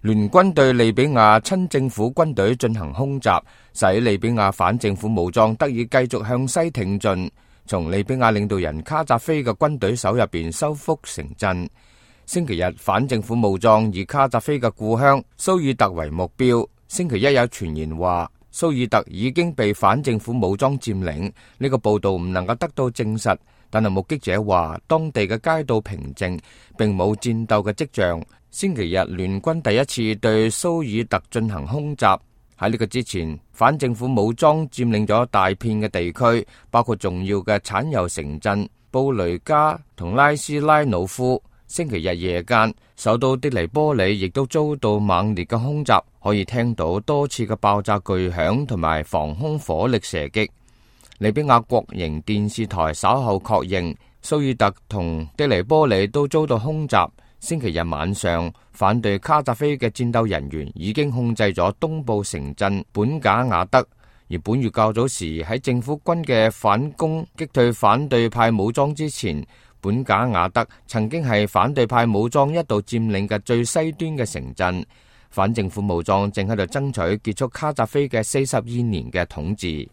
聯軍對利比亞親政府軍隊進行空襲，使利比亞反政府武裝得以繼續向西挺進，從利比亞領導人卡扎菲嘅軍隊手入邊收復城鎮。星期日，反政府武裝以卡扎菲嘅故鄉蘇爾特為目標。星期一有傳言話蘇爾特已經被反政府武裝佔領，呢個報道唔能夠得到證實，但係目擊者話當地嘅街道平靜，並冇戰鬥嘅跡象。星期日，聯軍第一次對蘇爾特進行空襲。喺呢個之前，反政府武裝佔領咗大片嘅地區，包括重要嘅產油城鎮布雷加同拉斯拉努夫。星期日夜間，首都的黎波里亦都遭到猛烈嘅空襲，可以聽到多次嘅爆炸巨響同埋防空火力射擊。利比亞國營電視台稍後確認，蘇爾特同的黎波里都遭到空襲。星期日晚上，反對卡扎菲嘅戰鬥人員已經控制咗東部城鎮本賈雅德，而本月較早時喺政府軍嘅反攻擊退反對派武裝之前，本賈雅德曾經係反對派武裝一度佔領嘅最西端嘅城鎮。反政府武裝正喺度爭取結束卡扎菲嘅42年嘅統治。